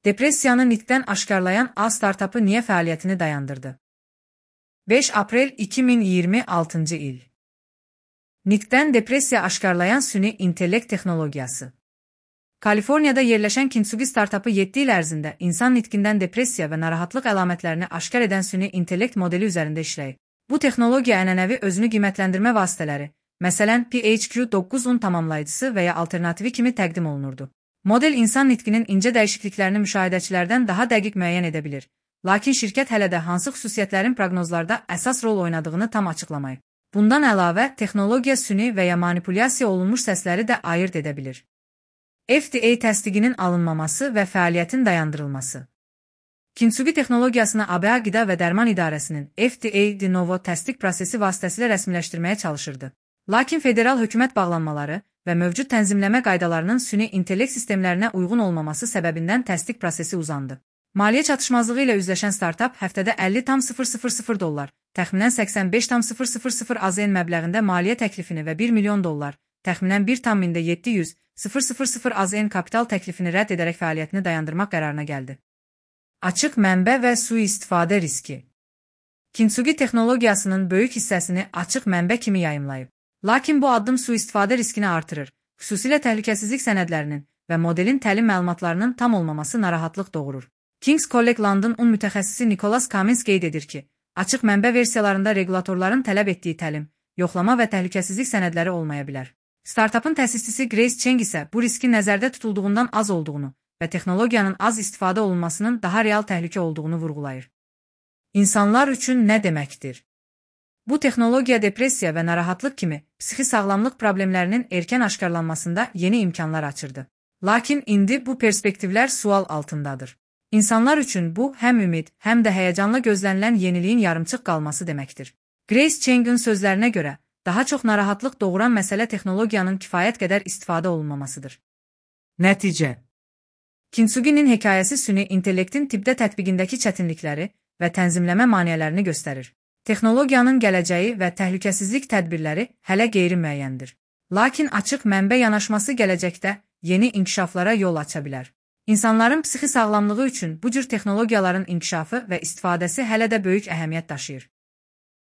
Depressiyanı nitqdən aşkarlayan A startapı niyə fəaliyyətini dayandırdı? 5 aprel 2026 il. Nitqdən depressiya aşkarlayan süni intellekt texnologiyası. Kaliforniyada yerləşən Kintsugi startapı 7 il ərzində insan nitqindən depressiya və narahatlıq əlamətlərini aşkar edən süni intellekt modeli üzərində işləyib. Bu texnologiya ənənəvi özünü qiymətləndirmə vasitələri, məsələn PHQ-9-un tamamlayıcısı və ya alternativi kimi təqdim olunurdu. Model insan nitqinin incə dəyişikliklərini müşahidəçilərdən daha dəqiq müəyyən edə bilir. Lakin şirkət hələ də hansı xüsusiyyətlərin proqnozlarda əsas rol oynadığını tam açıqlamayıb. Bundan əlavə, texnologiya süni və ya manipulyasiya olunmuş səsləri də ayırd edə bilir. FDA təsdiqinin alınmaması və fəaliyyətin dayandırılması. Kintsugi texnologiyasını ABA Qida və Dərman İdarəsinin FDA De Novo təsdiq prosesi vasitəsilə rəsmiləşdirməyə çalışırdı. Lakin federal hökumət bağlanmaları və mövcud tənzimləmə qaydalarının süni intellekt sistemlərinə uyğun olmaması səbəbindən təsdiq prosesi uzandı. Maliyyə çatışmazlığı ilə üzləşən startap həftədə $50,000, təxminən $85,000 AZN məbləğində maliyyə təklifini və $1 milyon, təxminən $1,700,000 AZN kapital təklifini rədd edərək fəaliyyətini dayandırmaq qərarına gəldi. Açıq mənbə və sui-istifadə riski. Kintsugi texnologiyasının böyük hissəsini açıq mənbə kimi yayımlayıb. Lakin bu addım sui-istifadə riskini artırır, xüsusilə təhlükəsizlik sənədlərinin və modelin təlim məlumatlarının tam olmaması narahatlıq doğurur. King's College London mütəxəssisi Nicholas Cummins qeyd edir ki, açıq mənbə versiyalarında regulatorların tələb etdiyi təlim, yoxlama və təhlükəsizlik sənədləri olmaya bilər. Startapın təsisçisi Grace Cheng isə bu riski nəzərdə tutulduğundan az olduğunu və texnologiyanın az istifadə olunmasının daha real təhlükə olduğunu vurğulayır. İnsanlar üçün nə deməkdir? Bu texnologiya depressiya və narahatlıq kimi psixi sağlamlıq problemlərinin erkən aşkarlanmasında yeni imkanlar açırdı. Lakin indi bu perspektivlər sual altındadır. İnsanlar üçün bu həm ümid, həm də həyəcanla gözlənilən yeniliyin yarımçıq qalması deməkdir. Grace Cheng'in sözlərinə görə, daha çox narahatlıq doğuran məsələ texnologiyanın kifayət qədər istifadə olunmamasıdır. Nəticə. Kintsugi'nin hekayəsi süni intellektin tibbdə tətbiqindəki çətinlikləri və tənzimləmə maneələrini göstərir. Texnologiyanın gələcəyi və təhlükəsizlik tədbirləri hələ qeyri-müəyyəndir. Lakin açıq mənbə yanaşması gələcəkdə yeni inkişaflara yol aça bilər. İnsanların psixi sağlamlığı üçün bu cür texnologiyaların inkişafı və istifadəsi hələ də böyük əhəmiyyət daşıyır.